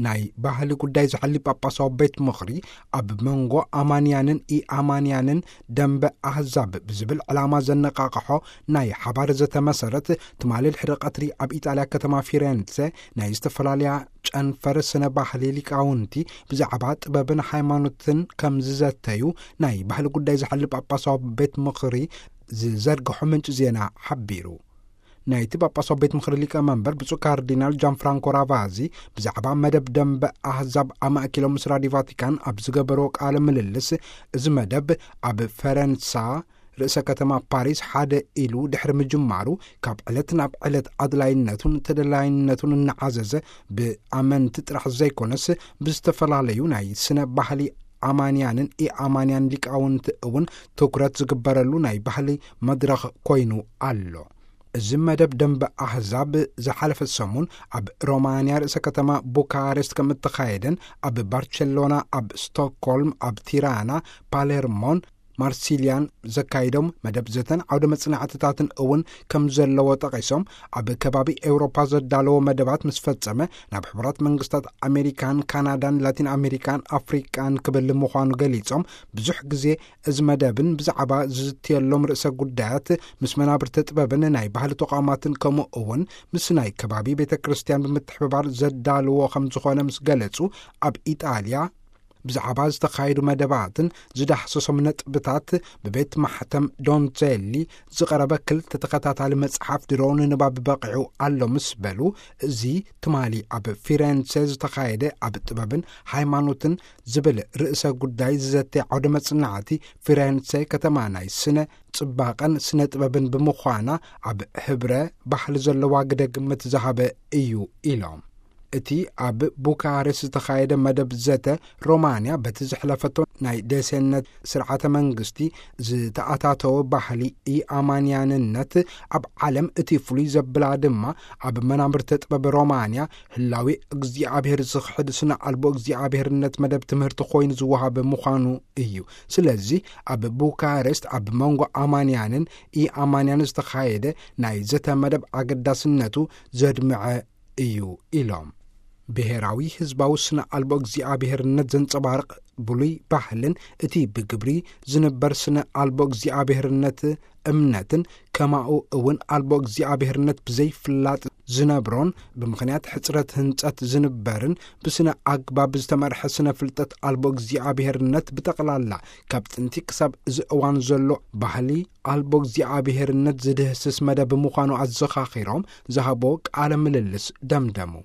ናይ ባህሊ ጉዳይ ዝሓሊ ጳጳሳዊ ቤት ምኽሪ፣ ኣብ መንጎ ኣማንያንን ኢኣማንያንን ደንበ ኣህዛብ ብዝብል ዕላማ ዘነቃቕሖ ናይ ሓባር ዘተመሰረት፣ ትማሊ ድሕሪ ቀትሪ ኣብ ኢጣልያ ከተማ ፊሬንሴ ናይ ዝተፈላለያ ጨንፈር ስነ ባህሊ ሊቃውንቲ ብዛዕባ ጥበብን ሃይማኖትን ከም ዝዘተዩ ናይ ባህሊ ጉዳይ ዝሓሊ ጳጳሳዊ ቤት ምኽሪ ዝዘርግሖ ምንጪ ዜና ሓቢሩ። ናይቲ ጳጳሳዊ ቤት ምኽሪ ሊቀ መንበር ብፁዕ ካርዲናል ጃን ፍራንኮ ራቫዚ ብዛዕባ መደብ ደንበ ኣህዛብ ኣማእኪሎም ምስ ራዲዮ ቫቲካን ኣብ ዝገበርዎ ቃለ ምልልስ፣ እዚ መደብ ኣብ ፈረንሳ ርእሰ ከተማ ፓሪስ ሓደ ኢሉ ድሕሪ ምጅማሩ፣ ካብ ዕለት ናብ ዕለት ኣድላይነቱን ተደላይነቱን እናዓዘዘ፣ ብኣመንቲ ጥራሕ ዘይኮነስ ብዝተፈላለዩ ናይ ስነ ባህሊ ኣማንያንን ኢኣማንያን ሊቃውንቲ እውን ትኩረት ዝግበረሉ ናይ ባህሊ መድረኽ ኮይኑ ኣሎ። እዚ መደብ ደንበ ኣህዛብ ዝሓለፈ ሰሙን ኣብ ሮማንያ ርእሰ ከተማ ቡካሬስት ከም እተኻየደን፣ ኣብ ባርቸሎና፣ ኣብ ስቶክሆልም፣ ኣብ ቲራና፣ ፓሌርሞን ማርሲልያን ዘካይዶም መደብ ዘተን ዓውደ መጽናዕትታትን እውን ከም ዘለዎ ጠቒሶም፣ ኣብ ከባቢ ኤውሮፓ ዘዳለዎ መደባት ምስ ፈጸመ ናብ ሕቡራት መንግስታት ኣሜሪካን ካናዳን ላቲን ኣሜሪካን ኣፍሪቃን ክብል ምዃኑ ገሊጾም፣ ብዙሕ ግዜ እዚ መደብን ብዛዕባ ዝዝትየሎም ርእሰ ጉዳያት ምስ መናብርቲ ጥበብን ናይ ባህሊ ተቋማትን ከምኡ እውን ምስ ናይ ከባቢ ቤተ ክርስቲያን ብምትሕብባር ዘዳልዎ ከም ዝኾነ ምስ ገለጹ፣ ኣብ ኢጣልያ ብዛዕባ ዝተኻየዱ መደባትን ዝዳህሰሶም ነጥብታት ብቤት ማሕተም ዶንዜሊ ዝቐረበ ክልተ ተኸታታሊ መጽሓፍ ድሮ ንንባብ በቒዑ ኣሎ ምስ በሉ፣ እዚ ትማሊ ኣብ ፊሬንሴ ዝተኻየደ ኣብ ጥበብን ሃይማኖትን ዝብል ርእሰ ጉዳይ ዝዘተ ዓውደ መጽናዕቲ፣ ፊሬንሴ ከተማ ናይ ስነ ጽባቐን ስነ ጥበብን ብምዃና፣ ኣብ ሕብረ ባህሊ ዘለዋ ግደ ግምት ዝሃበ እዩ ኢሎም። እቲ ኣብ ቡካሬስት ዝተኻየደ መደብ ዘተ፣ ሮማንያ በቲ ዘሕለፈቶ ናይ ደሴነት ስርዓተ መንግስቲ ዝተኣታተወ ባህሊ ኢኣማንያንነት፣ ኣብ ዓለም እቲ ፍሉይ ዘብላ ድማ፣ ኣብ መናብርተ ጥበብ ሮማንያ ህላዊ እግዚኣብሔር ዝኽሕድ ስነ ኣልቦ እግዚኣብሔርነት መደብ ትምህርቲ ኮይኑ ዝወሃብ ምዃኑ እዩ። ስለዚ ኣብ ቡካሬስት ኣብ መንጎ ኣማንያንን ኢኣማንያን ዝተኻየደ ናይ ዘተ መደብ ኣገዳስነቱ ዘድምዐ እዩ ኢሎም። ብሔራዊ ህዝባዊ ስነ ኣልቦ እግዚኣብሔርነት ዘንጸባርቕ ብሉይ ባህልን እቲ ብግብሪ ዝንበር ስነ ኣልቦ እግዚኣብሔርነት እምነትን፣ ከማኡ እውን ኣልቦ እግዚኣብሔርነት ብዘይፍላጥ ዝነብሮን፣ ብምኽንያት ሕጽረት ህንጸት ዝንበርን፣ ብስነ ኣግባብ ዝተመርሐ ስነ ፍልጠት ኣልቦ እግዚኣብሔርነት ብጠቕላላ፣ ካብ ጥንቲ ክሳብ እዚ እዋን ዘሎ ባህሊ ኣልቦ እግዚኣብሔርነት ዝድህስስ መደብ ምዃኑ ኣዘኻኺሮም ዝሃቦ ቃለ ምልልስ ደምደሙ።